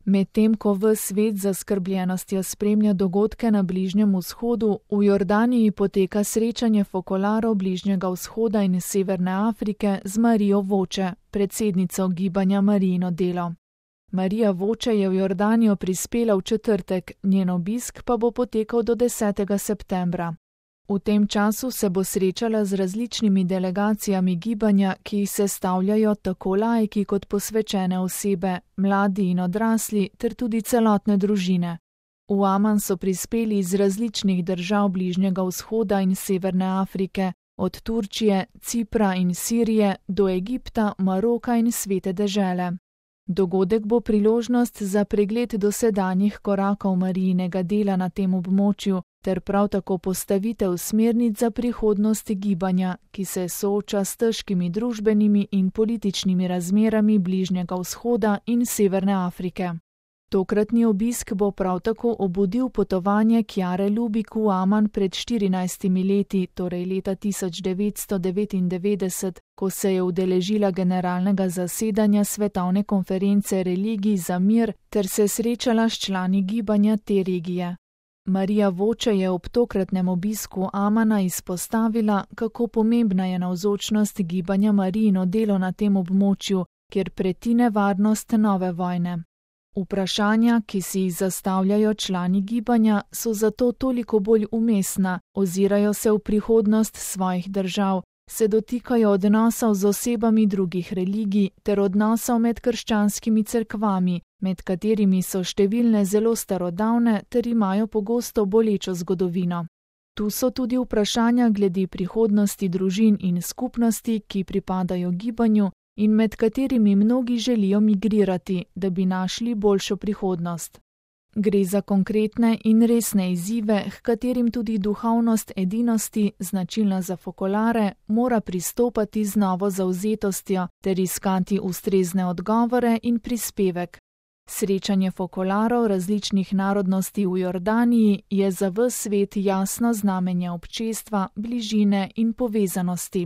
Medtem ko ves svet z zaskrbljenostjo spremlja dogodke na Bližnjem vzhodu, v Jordaniji poteka srečanje fokolarov Bližnjega vzhoda in Severne Afrike z Marijo Voče, predsednico gibanja Marijino delo. Marija Voče je v Jordanijo prispela v četrtek, njen obisk pa bo potekal do 10. septembra. V tem času se bo srečala z različnimi delegacijami gibanja, ki jih sestavljajo tako laiki kot posvečene osebe, mladi in odrasli ter tudi celotne družine. V Aman so prispeli iz različnih držav Bližnjega vzhoda in Severne Afrike, od Turčije, Cipra in Sirije do Egipta, Maroka in Svete dežele. Dogodek bo priložnost za pregled dosedanjih korakov Marijinega dela na tem območju ter prav tako postavitev smernic za prihodnost gibanja, ki se sooča s težkimi družbenimi in političnimi razmerami Bližnjega vzhoda in Severne Afrike. Tokratni obisk bo prav tako obudil potovanje Kjare Lubik v Aman pred 14 leti, torej leta 1999, ko se je udeležila generalnega zasedanja Svetovne konference religij za mir ter se srečala s člani gibanja te regije. Marija Voče je ob tokratnem obisku Amana izpostavila, kako pomembna je navzočnost gibanja Marijino delo na tem območju, kjer preti nevarnost nove vojne. Vprašanja, ki si jih zastavljajo člani gibanja, so zato toliko bolj umestna, ozirajo se v prihodnost svojih držav, se dotikajo odnosov z osebami drugih religij ter odnosov med krščanskimi cerkvami, med katerimi so številne zelo starodavne ter imajo pogosto bolečo zgodovino. Tu so tudi vprašanja glede prihodnosti družin in skupnosti, ki pripadajo gibanju, in med katerimi mnogi želijo migrirati, da bi našli boljšo prihodnost. Gre za konkretne in resne izzive, h katerim tudi duhovnost edinosti, značilna za fokolare, mora pristopati z novo zavzetostjo ter iskati ustrezne odgovore in prispevek. Srečanje fokolarov različnih narodnosti v Jordaniji je za ves svet jasno znamenje občestva, bližine in povezanosti.